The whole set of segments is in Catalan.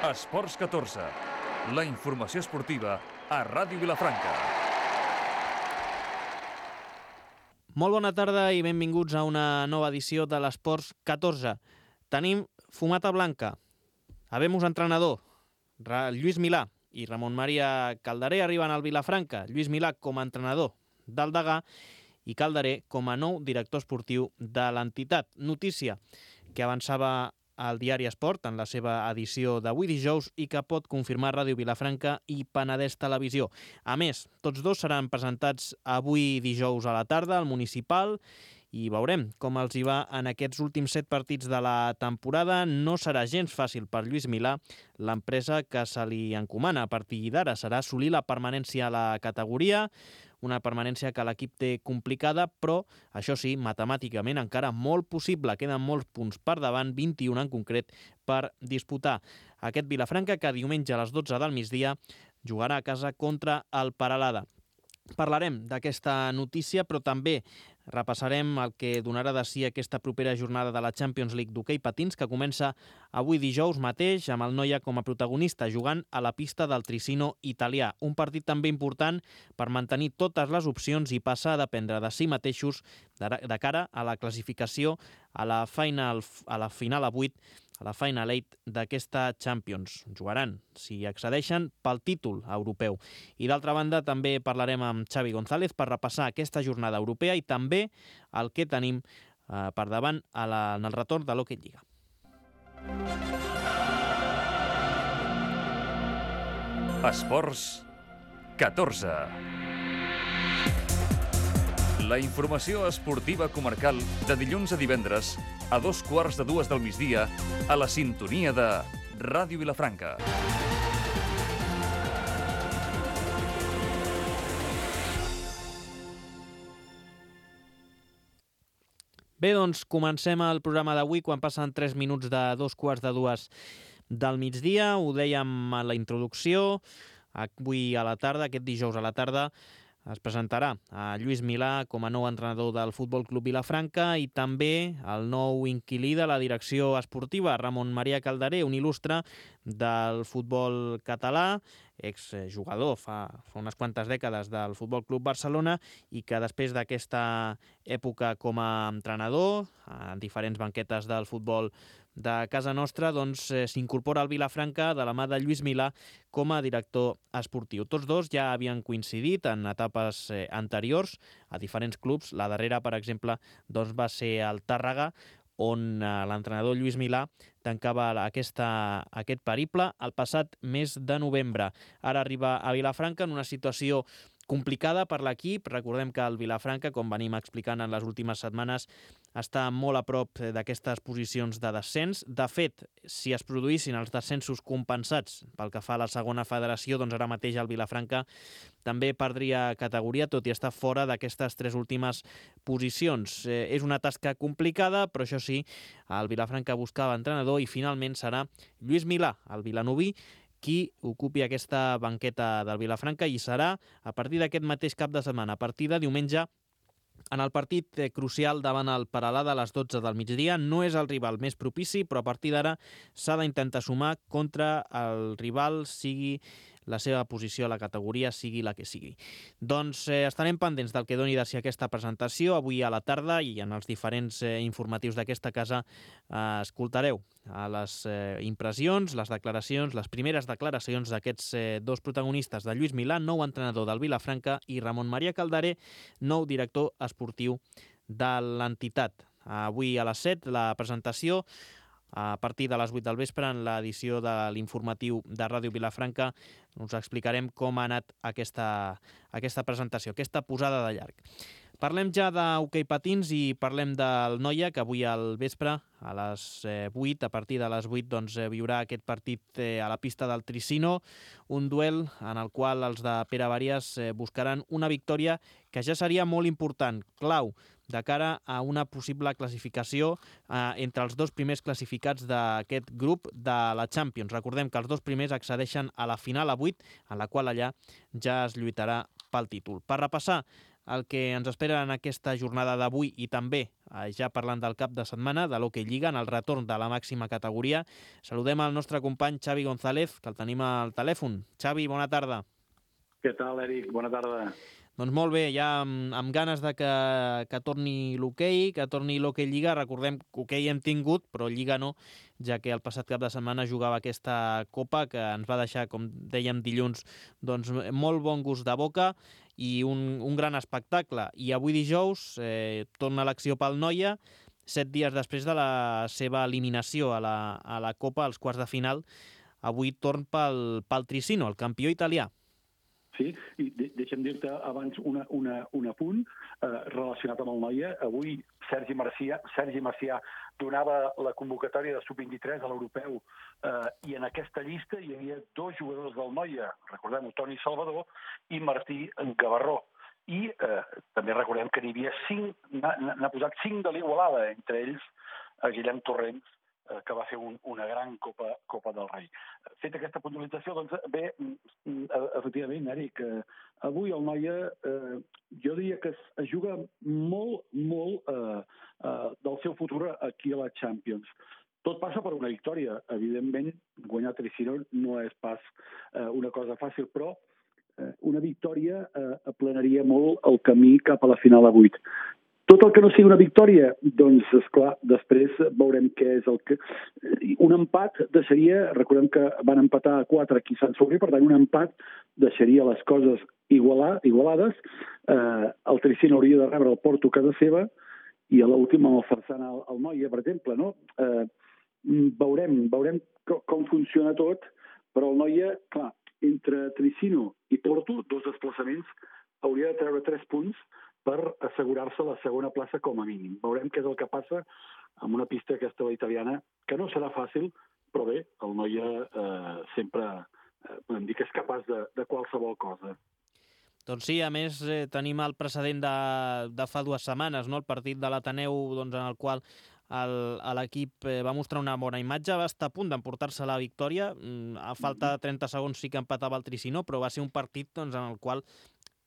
Esports 14, la informació esportiva a Ràdio Vilafranca. Molt bona tarda i benvinguts a una nova edició de l'Esports 14. Tenim fumata blanca, habemos entrenador, Lluís Milà i Ramon Maria Calderé arriben al Vilafranca. Lluís Milà com a entrenador del Degà i Calderé com a nou director esportiu de l'entitat. Notícia que avançava al diari Esport en la seva edició d'avui dijous i que pot confirmar Ràdio Vilafranca i Penedès Televisió. A més, tots dos seran presentats avui dijous a la tarda al Municipal i veurem com els hi va en aquests últims 7 partits de la temporada. No serà gens fàcil per Lluís Milà. L'empresa que se li encomana a partir d'ara serà assolir la permanència a la categoria, una permanència que l'equip té complicada, però, això sí, matemàticament encara molt possible. Queden molts punts per davant, 21 en concret, per disputar aquest Vilafranca que diumenge a les 12 del migdia jugarà a casa contra el Peralada. Parlarem d'aquesta notícia, però també repassarem el que donarà de si aquesta propera jornada de la Champions League d'hoquei patins, que comença avui dijous mateix amb el Noia com a protagonista, jugant a la pista del Tricino italià. Un partit també important per mantenir totes les opcions i passar a dependre de si mateixos de cara a la classificació a la final a 8, a la Final 8 d'aquesta Champions. Jugaran, si accedeixen, pel títol europeu. I d'altra banda també parlarem amb Xavi González per repassar aquesta jornada europea i també el que tenim per davant en el retorn de l'Hockey Lliga. Esports 14. La informació esportiva comarcal de dilluns a divendres a 2:15 del migdia a la sintonia de Ràdio Vilafranca. Bé, doncs comencem el programa d'avui quan passen 3 minuts de 2:15 del migdia. Ho dèiem a la introducció. Avui a la tarda, aquest dijous a la tarda, es presentarà a Lluís Milà com a nou entrenador del Futbol Club Vilafranca i també el nou inquilí de la direcció esportiva, Ramon Maria Calderé, un il·lustre del futbol català, exjugador fa unes quantes dècades del Futbol Club Barcelona i que després d'aquesta època com a entrenador a diferents banquetes del futbol de casa nostra, doncs s'incorpora al Vilafranca de la mà de Lluís Milà com a director esportiu. Tots dos ja havien coincidit en etapes anteriors a diferents clubs. La darrera, per exemple, doncs va ser el Tàrrega, on l'entrenador Lluís Milà tancava aquest periple el passat mes de novembre. Ara arriba a Vilafranca en una situació complicada per l'equip. Recordem que el Vilafranca, com venim explicant en les últimes setmanes, està molt a prop d'aquestes posicions de descens. De fet, si es produïssin els descensos compensats pel que fa a la segona federació, doncs ara mateix el Vilafranca també perdria categoria, tot i estar fora d'aquestes 3 últimes posicions. És una tasca complicada, però això sí, el Vilafranca buscava entrenador i finalment serà Lluís Milà, el vilanoví, qui ocupi aquesta banqueta del Vilafranca i serà a partir d'aquest mateix cap de setmana, a partir de diumenge, en el partit crucial davant el Peralada a les 12 del migdia. No és el rival més propici, però a partir d'ara s'ha d'intentar sumar contra el rival, sigui la seva posició a la categoria, sigui la que sigui. Doncs estarem pendents del que doni de si aquesta presentació avui a la tarda i en els diferents informatius d'aquesta casa escoltareu les impressions, les declaracions, les primeres declaracions d'aquests dos protagonistes, de Lluís Milà, nou entrenador del Vilafranca, i Ramon Maria Calderé, nou director esportiu de l'entitat. Avui a les 7 la presentació a partir de les 8 del vespre en l'edició de l'informatiu de Ràdio Vilafranca. Us explicarem com ha anat aquesta presentació, aquesta posada de llarg. Parlem ja d'hoquei patins i parlem del Noia, que avui al vespre, a les 8, a partir de les 8, doncs, viurà aquest partit a la pista del Tricino, un duel en el qual els de Pere Varies buscaran una victòria que ja seria molt important, clau, de cara a una possible classificació entre els dos primers classificats d'aquest grup de la Champions. Recordem que els dos primers accedeixen a la final a 8, en la qual allà ja es lluitarà pel títol. Per repassar el que ens espera en aquesta jornada d'avui i també, ja parlant del cap de setmana, de l'Hockey Lliga, en el retorn de la màxima categoria. Saludem al nostre company Xavi González, que el tenim al telèfon. Xavi, bona tarda. Què tal, Eric? Bona tarda. Doncs molt bé, ja amb ganes de que torni l'hoquei, que torni l'Hockey Lliga. Recordem que hoquei hem tingut, però Lliga no, ja que el passat cap de setmana jugava aquesta Copa que ens va deixar, com dèiem dilluns, doncs molt bon gust de boca i un gran espectacle. I avui dijous torna l'acció pel Noia, 7 dies després de la seva eliminació a la Copa, als quarts de final. Avui torn pel Tricino, el campió italià. Sí, i deixa'm dir-te abans un apunt relacionat amb el Noia. Avui Sergi Macià donava la convocatòria de sub-23 a l'europeu i en aquesta llista hi havia 2 jugadors del Noia, recordem-ho, Toni Salvador i Martí Gavarró. I també recordem que n'hi havia 5, n'ha posat 5 de l'Igualada, entre ells Guillem Torrents, que va fer una gran Copa del Rei. Feta aquesta puntualització, doncs bé, efectivament, Eric, avui el Noia, jo diria que es juga molt del seu futur aquí a la Champions. Tot passa per una victòria. Evidentment, guanyar Tricino no és pas una cosa fàcil, però una victòria aplanaria molt el camí cap a la final a 8. Tot el que no sigui una victòria, doncs, esclar, després veurem què és el que... Un empat deixaria, recordem que van empatar a 4 aquí a Sant Sadurní, per tant, un empat deixaria les coses igualades. El Tricino hauria de rebre el Porto a casa seva i a l'últim amb el Farsana al Noia, per exemple, no? Veurem com funciona tot, però el Noia, clar, entre Tricino i Porto, 2 desplaçaments, hauria de treure 3 punts per assegurar-se la segona plaça com a mínim. Veurem què és el que passa amb una pista aquesta italiana, que no serà fàcil, però bé, el Noia sempre podem dir que és capaç de qualsevol cosa. Doncs sí, a més tenim el precedent de fa 2 setmanes, no? El partit de l'Ateneu, doncs, en el qual l'equip va mostrar una bona imatge, va estar a punt d'emportar-se la victòria, a falta de 30 segons sí que empatava el Tricino, però va ser un partit doncs, en el qual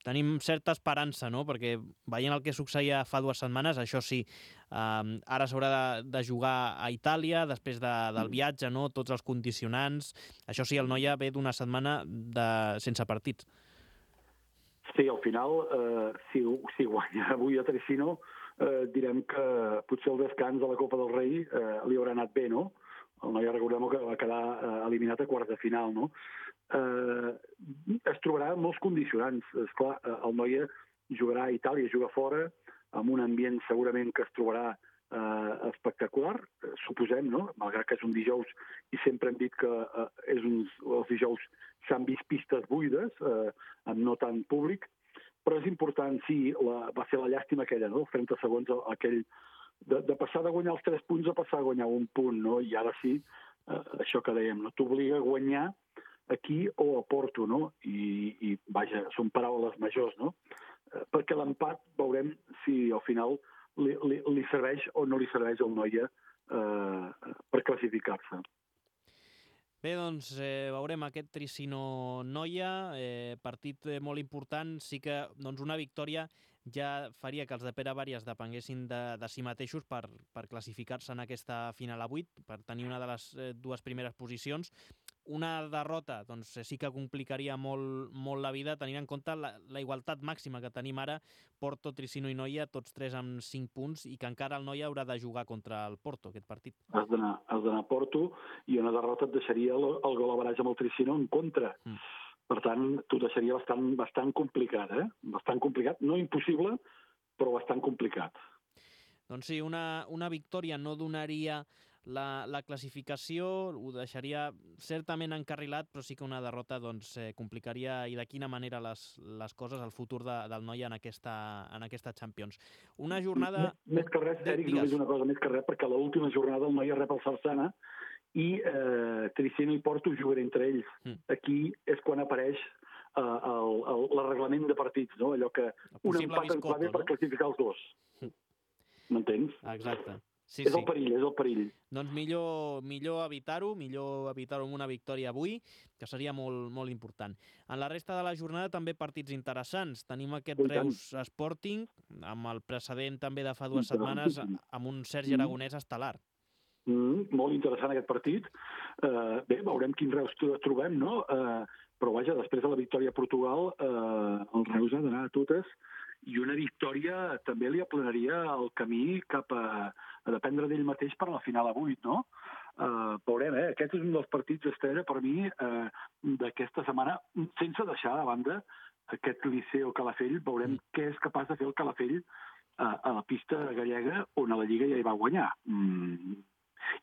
tenim certa esperança, no? Perquè veient el que succeïa fa 2 setmanes, això sí, ara s'haurà de jugar a Itàlia, després del viatge, no? Tots els condicionants. Això sí, el Noia ve d'una setmana sense partits. Sí, al final, si guanya avui a Tricino, direm que potser el descans de la Copa del Rei li haurà anat bé, no? El Noia, recordem que va quedar eliminat a quarts de final, no? Es trobarà molts condicionants. Esclar, el Noia jugarà a Itàlia, juga fora, amb un ambient segurament que es trobarà espectacular, suposem, no? Malgrat que és un dijous i sempre hem dit que els dijous s'han vist pistes buides, amb no tant públic, però és important, sí, va ser la llàstima aquella, no? 30 segons aquell de passar de guanyar els 3 punts a passar a guanyar 1 punt, no? I ara sí, això que dèiem, no? T'obliga a guanyar aquí o a Porto, no? I vaja, són paraules majors, no? Perquè l'empat veurem si al final li serveix o no li serveix al Noia per classificar-se. Bé, doncs veurem aquest Tricino-Noia, partit molt important. Sí que doncs, una victòria ja faria que els de Pere Bàries depenguessin de si mateixos per classificar-se en aquesta final a 8, per tenir una de les 2 primeres posicions. Una derrota doncs, sí que complicaria molt la vida, tenint en compte la igualtat màxima que tenim ara, Porto, Tricino i Noia, tots 3 amb 5 punts, i que encara el Noia haurà de jugar contra el Porto, aquest partit. Has d'anar a Porto, i una derrota et deixaria el gol average amb el Tricino en contra. Per tant, t'ho deixaria bastant complicat, eh? Bastant complicat, no impossible, però bastant complicat. Doncs sí, una victòria no donaria la classificació, ho deixaria certament encarrilat, però sí que una derrota doncs, complicaria i de quina manera les coses, el futur del Noia en aquesta Champions. Una jornada... Més que res, Eric, només una cosa, més que res, perquè a l'última jornada el Noia rep el Sarsana i Tricino i Porto juguen entre ells. Aquí és quan apareix el reglament de partits, no? Allò que un empat en clave per classificar els 2. M'entens? Exacte. Sí, És el perill. Doncs millor evitar-ho amb una victòria avui, que seria molt, molt important. En la resta de la jornada també partits interessants. Tenim aquest Reus Sporting, amb el precedent també de fa 2 setmanes, amb un Sergi Aragonès estel·lar. Molt interessant aquest partit. Bé, veurem quin Reus trobem, no? Però vaja, després de la victòria a Portugal, el Reus ha d'anar a totes, i una victòria també li aplanaria el camí cap a dependre d'ell mateix per a la final a 8, no? Veurem, aquest és un dels partits estrella per mi d'aquesta setmana, sense deixar de banda aquest Liceo Calafell. Veurem què és capaç de fer el Calafell a la pista gallega, on a la Lliga ja hi va guanyar.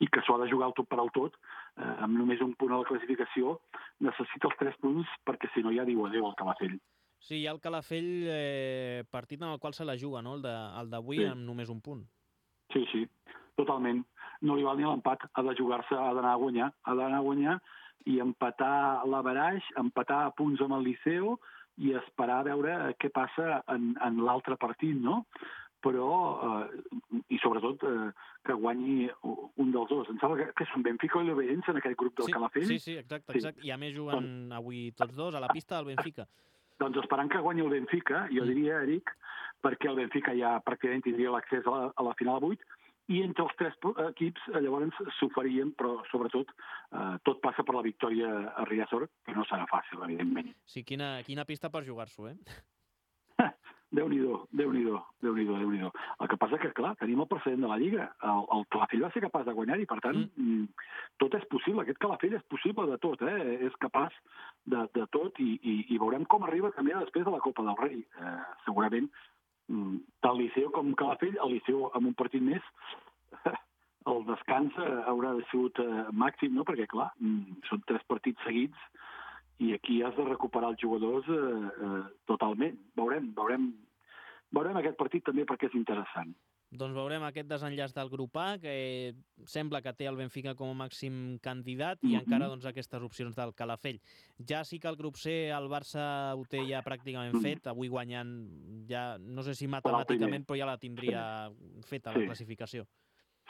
I que s'ho ha de jugar el tot per al tot, amb només un punt a la classificació, necessita els 3 punts perquè si no ja diu adéu al Calafell. Sí, hi ha el Calafell, partit en el qual se la juga, no? El d'avui, amb només un punt. Sí, totalment. No li val ni l'empat, ha de jugar-se, ha d'anar a guanyar i empatar l'averaix, empatar a punts amb el Liceo i esperar a veure què passa en l'altre partit, no? Però, i sobretot, que guanyi un dels dos. Em sembla que són Benfica i l'Oberense en aquest grup del Calafell. Sí, exacte. I a més juguen avui tots dos a la pista del Benfica. Doncs esperant que guanyi el Benfica, jo diria, Eric, perquè el Benfica ja pràcticament tindria l'accés a la final a 8, i entre els 3 equips llavors s'oferien, però sobretot tot passa per la victòria a Riazor, que no serà fàcil, evidentment. Sí, quina pista per jugar-s'ho, Déu-n'hi-do. El que passa que, clar, tenim el precedent de la Lliga. El Calafell va ser capaç de guanyar i, per tant, tot és possible. Aquest Calafell és possible de tot, és capaç de tot i veurem com arriba també després de la Copa del Rei. Segurament, tant Liceo com Calafell, el Liceo amb un partit més, el descans haurà sigut màxim, no? Perquè, clar, són 3 partits seguits i aquí has de recuperar els jugadors totalment. Veurem aquest partit també perquè és interessant. Doncs veurem aquest desenllaç del grup A, que sembla que té el Benfica com a màxim candidat i encara aquestes opcions del Calafell. Ja sí que el grup C, el Barça ho té ja pràcticament fet, avui guanyant ja, no sé si matemàticament, però ja la tindria feta la classificació.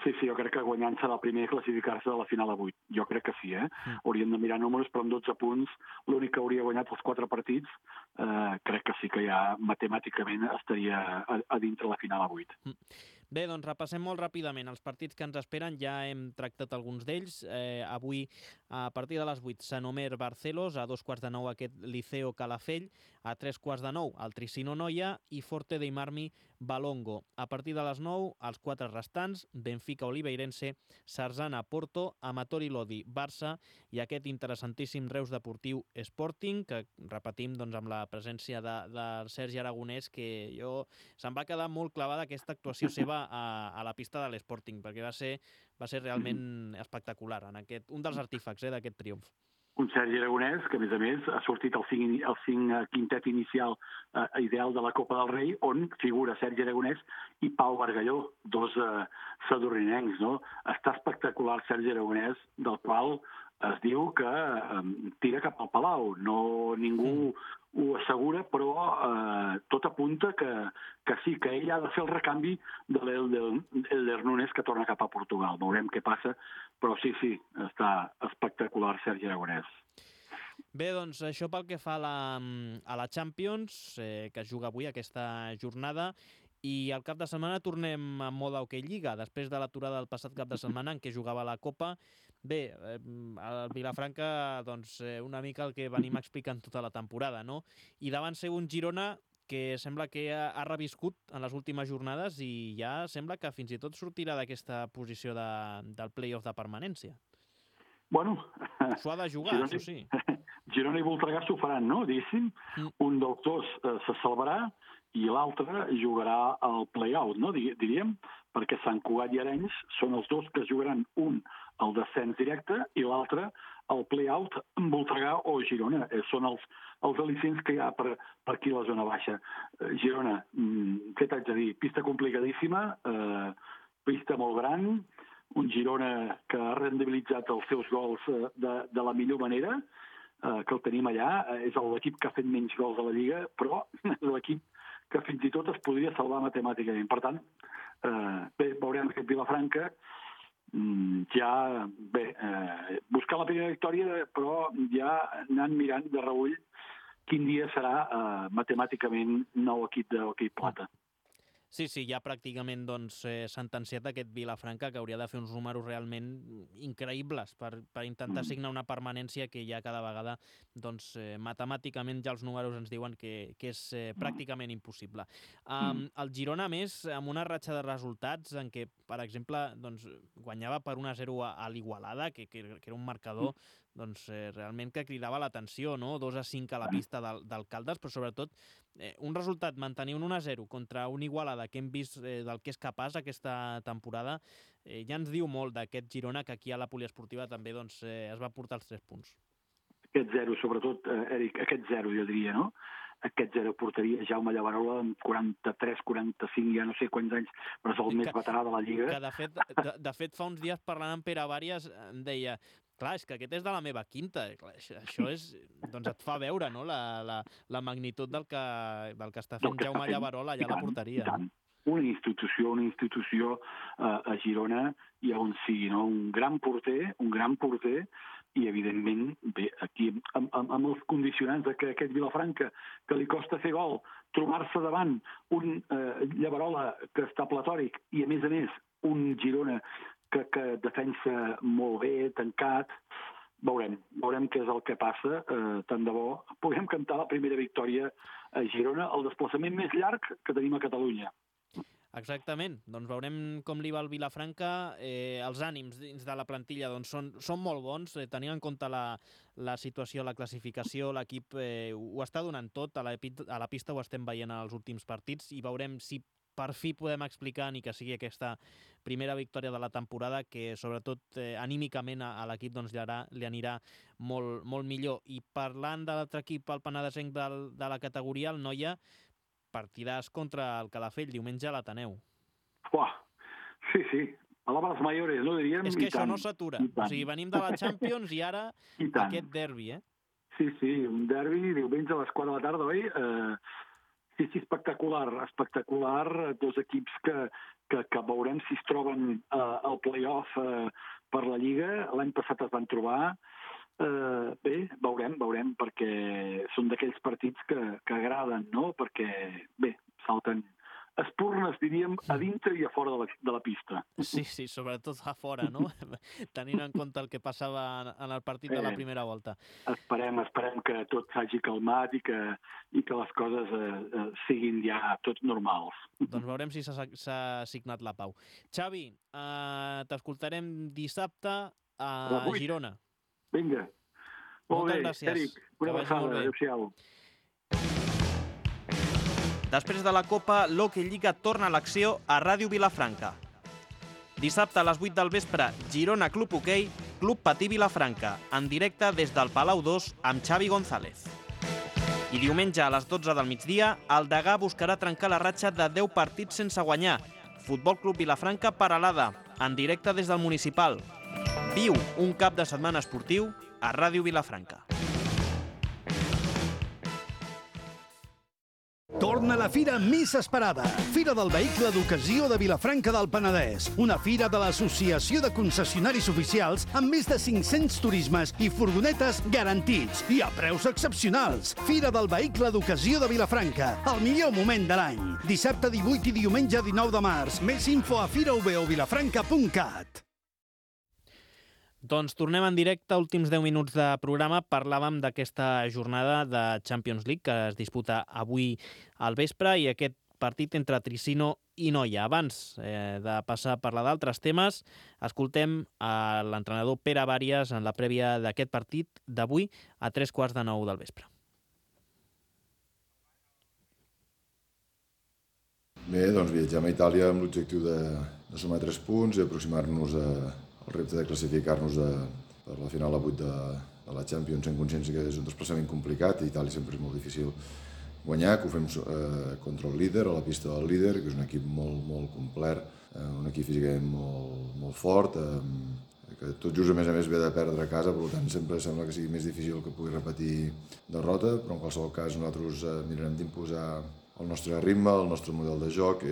Sí, jo crec que guanyant serà el primer a classificar-se a la final a 8. Jo crec que sí, Hauríem de mirar números, però amb 12 punts, l'únic que hauria guanyat els 4 partits, crec que sí que ja matemàticament estaria a dintre la final a 8. Bé, doncs repassem molt ràpidament els partits que ens esperen. Ja hem tractat alguns d'ells. Avui, a partir de les 8, Sanomer Barcelos, a 8:15 aquest Liceo Calafell, a 8:45 el Tricino Noia i Forte dei Marmi Balongo. A partir de les 9, els 4 restants, Benfica Oliveirense, Sarzana Porto, Amatori Lodi Barça i aquest interessantíssim Reus Deportiu Sporting, que repetim doncs, amb la presència de Sergi Aragonès, que se'm va quedar molt clavada aquesta actuació seva a la pista de l'Sporting, perquè va ser realment espectacular, un dels artífecs d'aquest triomf. Un Sergi Aragonès que, a més, ha sortit el 5 quintet inicial ideal de la Copa del Rei, on figura Sergi Aragonès i Pau Bargalló, 2 sadurrinencs, no? Està espectacular Sergi Aragonès, del qual es diu que tira cap al Palau. No, ningú ho assegura, però tot apunta que sí, que ell ha de fer el recanvi de l'Elder Nunes, que torna cap a Portugal. Veurem què passa, però sí, està espectacular Sergi Aragonès. Bé, doncs això pel que fa a la Champions, que es juga avui aquesta jornada, i al cap de setmana tornem a mode Hockey Lliga, després de l'aturada del passat cap de setmana en què jugava la Copa. Bé, a Vilafranca, doncs, una mica el que venim explicant tota la temporada, no? I davant seu un Girona que sembla que ha reviscut en les últimes jornades i ja sembla que fins i tot sortirà d'aquesta posició del play-off de permanència. Bueno, s'ho ha de jugar, això sí. Girona i Voltregà s'ho faran, no? Diguéssim, un dels dos se salvarà i l'altre jugarà al play-out, no? Diríem, perquè Sant Cugat i Arenys són els dos que jugaran, un al descens directe i l'altre al play-out amb Voltregà o Girona. Són els al·licents que hi ha per aquí a la zona baixa. Girona, què t'haig de dir? Pista complicadíssima, pista molt gran, un Girona que ha rendibilitzat els seus gols de la millor manera, que el tenim allà. És l'equip que ha fet menys gols a la Lliga, però és l'equip que fins i tot es podria salvar matemàticament. Per tant, bé, veurem aquest Vilafranca, buscar la primera victòria, però ja anant mirant de reüll quin dia serà matemàticament nou equip de hoquei plata. Sí, ja pràcticament sentenciat aquest Vilafranca, que hauria de fer uns números realment increïbles per intentar signar una permanència que ja cada vegada matemàticament ja els números ens diuen que és pràcticament impossible. El Girona, a més, amb una ratxa de resultats en què, per exemple, guanyava per 1-0 a l'Igualada, que era un marcador realment que cridava l'atenció, no? 2-5 a la pista del Caldes, però sobretot un resultat, mantenir un 1-0 contra un Igualada que hem vist del que és capaç aquesta temporada, ja ens diu molt d'aquest Girona, que aquí a la poliesportiva també es va portar els 3 punts. Aquest 0, sobretot, Eric, aquest 0 jo diria, no? Aquest 0 portaria Jaume Llavarola amb 43, 45, ja no sé quants anys, però és el més veterà de la Lliga. Que de fet fa uns dies parlant amb Pere Vàries em deia, clar, és que aquest és de la meva quinta. Això és, et fa veure, no?, la magnitud del que està fent Jaume Llavarola allà a la porteria. Una institució a Girona i on sigui, no? Un gran porter, i, evidentment, bé, aquí, amb els condicionants que aquest Vilafranca, que li costa fer gol, trobar-se davant un Llavarola que està platòric i, a més, un Girona que defensa molt bé, tancat, veurem què és el que passa. Tant de bo puguem cantar la primera victòria a Girona, el desplaçament més llarg que tenim a Catalunya. Exactament. Veurem com li va el Vilafranca. Els ànims dins de la plantilla són molt bons. Tenint en compte la situació, la classificació, l'equip ho està donant tot. A la pista ho estem veient als últims partits i veurem si per fi podem explicar ni que sigui aquesta primera victòria de la temporada, que sobretot anímicament a l'equip li anirà molt, molt millor. I parlant de l'altre equip, el penedesenc de la categoria, el Noia, partidàs contra el Calafell, diumenge a l'Ateneu. Sí, palabras mayores, no diríem? És que això no s'atura. O sigui, venim de la Champions i ara aquest derbi, Sí, un derbi, diumenge a les 4 de la tarda, oi? Sí, espectacular. Dos equips que veurem si es troben al play-off per la Lliga. L'any passat es van trobar. Bé, veurem, perquè són d'aquells partits que agraden, no? Perquè, bé, salten espurnes, diríem, a dintre i a fora de la pista. Sí, sobretot a fora, no? Tenint en compte el que passava en el partit de la primera volta. Esperem que tot s'hagi calmat i que les coses siguin ja tots normals. Doncs veurem si s'ha signat la pau. Xavi, t'escoltarem dissabte a Girona. Vinga. Molt bé, Eric. Una abraçada. Adéu-siau. Després de la Copa, l'Hockey Lliga torna a l'acció a Ràdio Vilafranca. Dissabte a les 8 del vespre, Girona Club Hoquei, Club Patí Vilafranca, en directe des del Palau 2 amb Xavi González. I diumenge a les 12 del migdia, el Degà buscarà trencar la ratxa de 10 partits sense guanyar. Futbol Club Vilafranca Peralada, en directe des del Municipal. Viu un cap de setmana esportiu a Ràdio Vilafranca. Torna la fira més esperada. Fira del Vehicle d'Ocasió de Vilafranca del Penedès. Una fira de l'Associació de Concessionaris Oficials amb més de 500 turismes i furgonetes garantits i a preus excepcionals. Fira del Vehicle d'Ocasió de Vilafranca. El millor moment de l'any. Dissabte 18 i diumenge 19 de març. Més info a firaovilafranca.cat. Doncs tornem en directe, últims 10 minuts de programa. Parlàvem d'aquesta jornada de Champions League que es disputa avui al vespre i aquest partit entre Tricino i Noia. Abans de passar a parlar d'altres temes, escoltem a l'entrenador Pere Vàries en la prèvia d'aquest partit d'avui a 8:45 del vespre. Bé, doncs viatgem a Itàlia amb l'objectiu de sumar 3 punts i aproximar-nos al repte de classificar-nos per la final a 8 de la Champions, sent conscients que és un desplaçament complicat. A Itàlia sempre és molt difícil guanyar, que ho fem contra el líder, a la pista del líder, que és un equip molt complet, un equip físicament molt fort, que tot just a més ve de perdre a casa, per tant sempre sembla que sigui més difícil que pugui repetir derrota, però en qualsevol cas nosaltres mirarem d'imposar el nostre ritme, el nostre model de joc.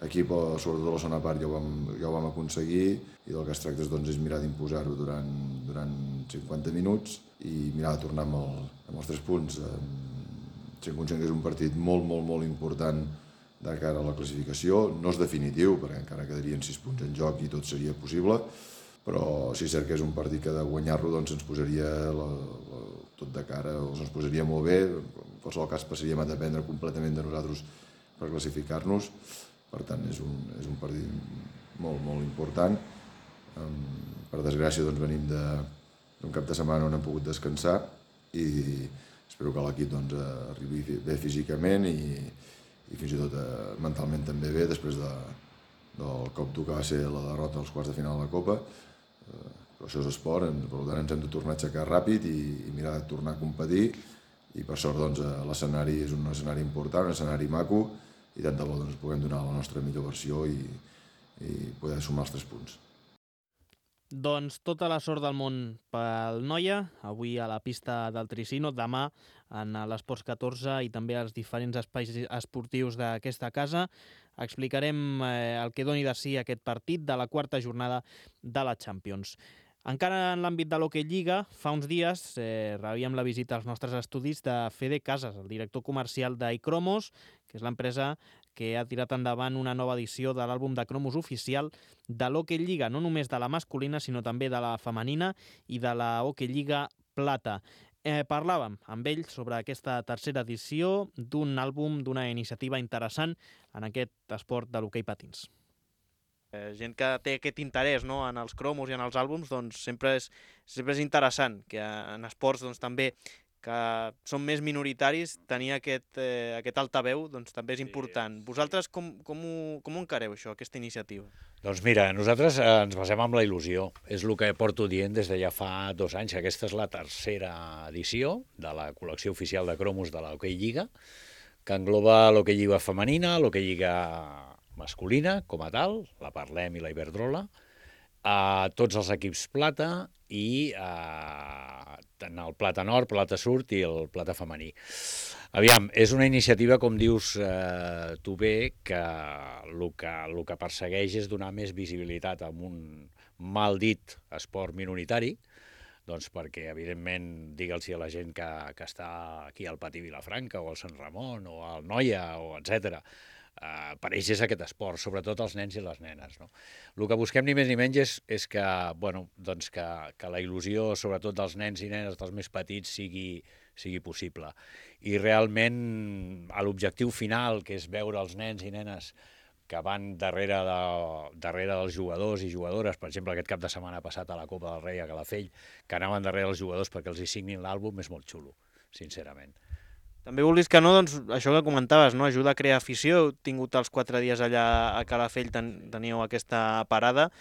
Aquí, sobretot a la segona part, ja ho vam aconseguir i del que es tracta doncs, és mirar d'imposar-ho durant 50 minuts i mirar de tornar amb els 3 punts. Sent conscient que és un partit molt important de cara a la classificació. No és definitiu, perquè encara quedarien 6 punts en joc i tot seria possible, però sí és cert que és un partit que de guanyar-lo doncs, ens posaria tot de cara, o ens posaria molt bé. En qualsevol cas passaríem a dependre completament de nosaltres per classificar-nos. Per tant, és un partit molt important. Per desgràcia doncs, venim d'un cap de setmana on hem pogut descansar i espero que l'equip doncs, arribi bé físicament i fins i tot mentalment també bé després del cop dur que va ser la derrota als quarts de final de la Copa. Però això és esport, per tant ens hem de tornar a aixecar ràpid i mirar de tornar a competir i per sort doncs, l'escenari és un escenari important, un escenari maco i tant de bo doncs, puguem donar la nostra millor versió i poder sumar els 3 punts. Doncs tota la sort del món pel Noia, avui a la pista del Tricino, demà en l'Esports 14 i també als diferents espais esportius d'aquesta casa. Explicarem el que doni de si aquest partit de la 4a jornada de la Champions. Encara en l'àmbit de l'Hockey Lliga, fa uns dies rebíem la visita als nostres estudis de Fede Casas, el director comercial d'Icromos, que és l'empresa que ha tirat endavant una nova edició de l'àlbum de cromos oficial de l'Hockey Lliga, no només de la masculina, sinó també de la femenina i de la Hockey Lliga Plata. Parlàvem amb ell sobre aquesta tercera edició d'un àlbum, d'una iniciativa interessant en aquest esport de l'hoquei patins. Gent que té aquest interès, no, en els cromos i en els àlbums, doncs sempre és interessant que en esports doncs, també que són més minoritaris, tenir aquest altaveu doncs, també és important. Vosaltres com ho encareu, això, aquesta iniciativa? Doncs mira, nosaltres ens basem en la il·lusió. És el que porto dient des de ja fa 2 anys. Aquesta és la tercera edició de la col·lecció oficial de cromos de l'Hockey Lliga, que engloba l'Hockey Lliga femenina, l'Hockey Lliga masculina, com a tal, la Parlem i la Iberdrola, tots els equips plata i tant el plata nord, plata sud i el plata femení. Aviam, és una iniciativa, com dius tu bé, que el que persegueix és donar més visibilitat a un mal dit esport minoritari, doncs perquè, evidentment, digue'ls a la gent que està aquí al Patí Vilafranca o al Sant Ramon o al Noia, o etc. Per ells és aquest esport, sobretot els nens i les nenes. No? El que busquem ni més ni menys és que, bueno, doncs que la il·lusió, sobretot dels nens i nenes, dels més petits, sigui possible. I realment l'objectiu final, que és veure els nens i nenes que van darrere dels jugadors i jugadores, per exemple, aquest cap de setmana passat a la Copa del Rei a Calafell, que anaven darrere els jugadors perquè els hi signin l'àlbum, és molt xulo, sincerament. També vulguis que no, doncs això que comentaves, no? Ajuda a crear afició. Heu tingut els 4 dies allà a Calafell, teníeu aquesta parada.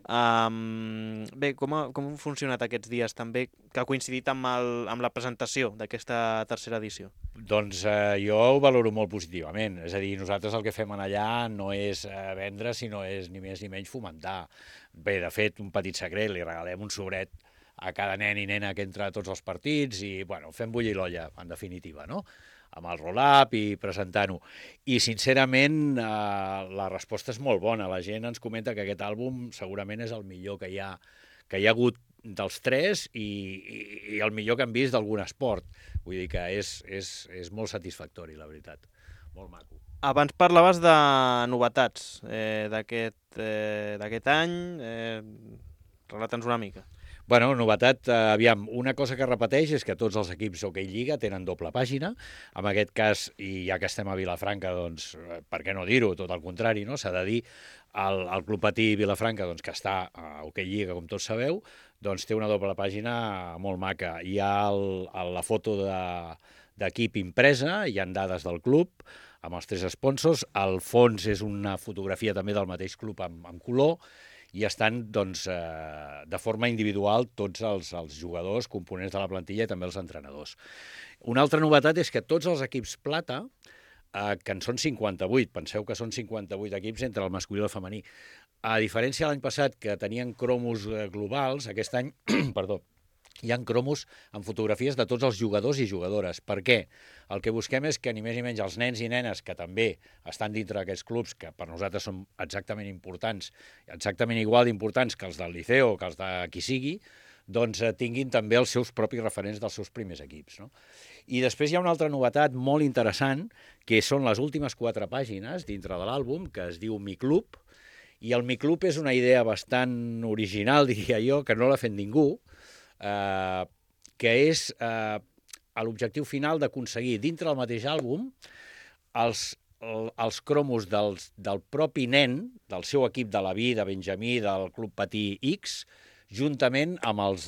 Bé, com han funcionat aquests dies també, que ha coincidit amb la presentació d'aquesta tercera edició? Doncs jo ho valoro molt positivament. És a dir, nosaltres el que fem allà no és vendre, sinó és ni més ni menys fomentar. Bé, de fet, un petit secret, li regalem un sobret a cada nen i nena que entra a tots els partits i, bueno, fem bullir l'olla, en definitiva, no? Amb el roll-up i presentant-ho. I, sincerament, la resposta és molt bona. La gent ens comenta que aquest àlbum segurament és el millor que hi ha hagut dels 3 i el millor que han vist d'algun esport. Vull dir que és molt satisfactori, la veritat. Molt maco. Abans parlaves de novetats d'aquest any. Relata'ns una mica. Bueno, novetat, aviam, una cosa que repeteix és que tots els equips Hockey Lliga tenen doble pàgina. En aquest cas, i ja que estem a Vilafranca, doncs, per què no dir-ho? Tot el contrari, no? S'ha de dir, el Club Patí Vilafranca, doncs, que està a Hockey Lliga, com tots sabeu, doncs té una doble pàgina molt maca. Hi ha la foto d'equip impresa, hi ha dades del club, amb els 3 sponsors. Al fons és una fotografia també del mateix club amb color, i estan doncs, de forma individual tots els jugadors, components de la plantilla i també els entrenadors. Una altra novetat és que tots els equips plata, que en són 58, penseu que són 58 equips entre el masculí i el femení, a diferència de l'any passat que tenien cromos globals, aquest any, perdó, hi ha cromos amb fotografies de tots els jugadors i jugadores. Per què? El que busquem és que ni més ni menys els nens i nenes que també estan dintre d'aquests clubs, que per nosaltres són exactament importants, exactament igual d'importants que els del Liceo o que els de qui sigui, doncs tinguin també els seus propis referents dels seus primers equips, no? I després hi ha una altra novetat molt interessant, que són les últimes 4 pàgines dintre de l'àlbum, que es diu Mi Club, i el Mi Club és una idea bastant original, diria jo, que no l'ha fet ningú, que és l'objectiu final d'aconseguir dintre del mateix àlbum els cromos del propi nen, del seu equip de la vida, Benjamí, del Club Patí X, juntament amb els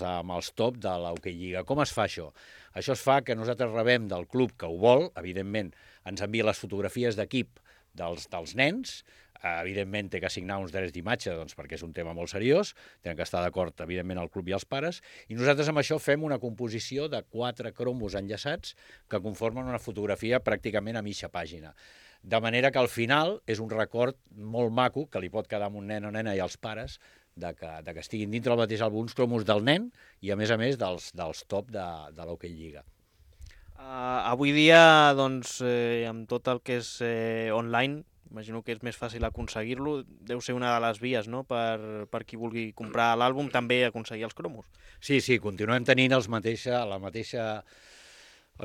top de l'Hockey Lliga. Com es fa això? Això es fa que nosaltres rebem del club que ho vol, evidentment ens envia les fotografies d'equip dels nens, evidentment té que assignar uns drets d'imatge perquè és un tema molt seriós, tenen que estar d'acord, evidentment, el club i els pares, i nosaltres amb això fem una composició de 4 cromos enllaçats que conformen una fotografia pràcticament a mitja pàgina. De manera que al final és un record molt maco que li pot quedar a un nen o nena i als pares de que estiguin dintre del mateix àlbum uns cromos del nen i, a més dels top de l'Hockey Lliga. Avui dia, doncs, amb tot el que és online, imagino que és més fàcil aconseguir-lo, deu ser una de les vies, no?, per qui vulgui comprar l'àlbum, també aconseguir els cromos. Sí, continuem tenint les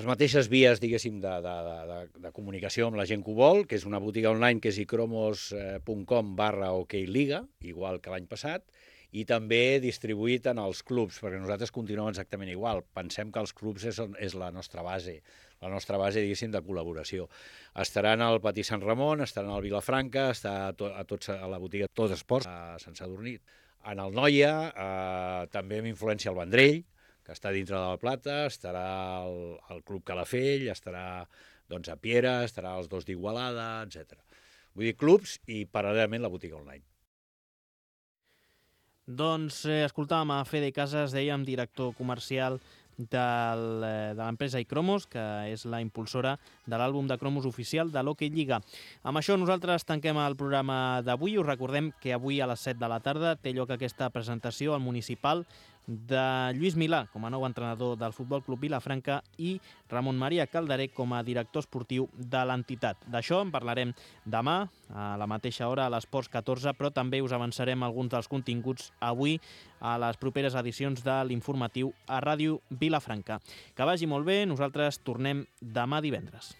mateixes vies, diguéssim, de comunicació amb la gent que ho vol, que és una botiga online que és icromos.com/okliga, igual que l'any passat, i també distribuït en els clubs, perquè nosaltres continuem exactament igual. Pensem que els clubs és la nostra base, diguéssim, de col·laboració. Estaran al Patí Sant Ramon, estaran al Vilafranca, està a la botiga Tot Esports, a Sant Sadurní. En el Noia, també amb influència al Vendrell, que està dintre de la Plata, estarà el Club Calafell, estarà a Piera, estarà els 2 d'Igualada, etc. Vull dir, clubs i paral·lelament la botiga online. Doncs escoltàvem a Fede Casas, dèiem, director comercial de l'empresa iCromos, que és la impulsora de l'àlbum de cromos oficial de l'Hockey Lliga. Amb això nosaltres tanquem el programa d'avui. Us recordem que avui a les 7 de la tarda té lloc aquesta presentació al Municipal de Lluís Milà com a nou entrenador del Futbol Club Vilafranca i Ramon Maria Calderé com a director esportiu de l'entitat. D'això en parlarem demà a la mateixa hora a l'Esports 14, però també us avançarem alguns dels continguts avui a les properes edicions de l'informatiu a Ràdio Vilafranca. Que vagi molt bé, nosaltres tornem demà divendres.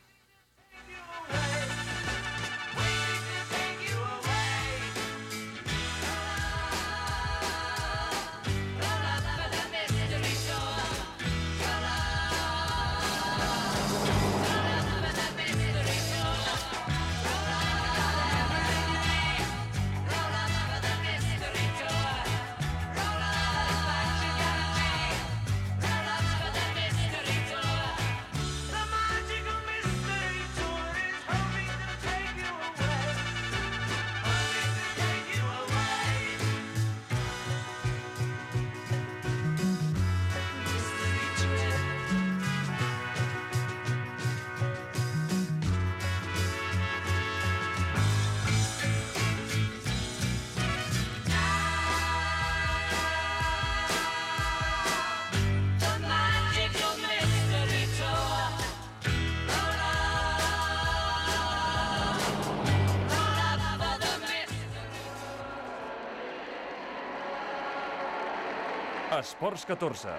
Esports 14,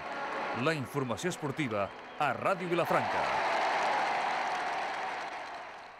la informació esportiva a Ràdio Vilafranca.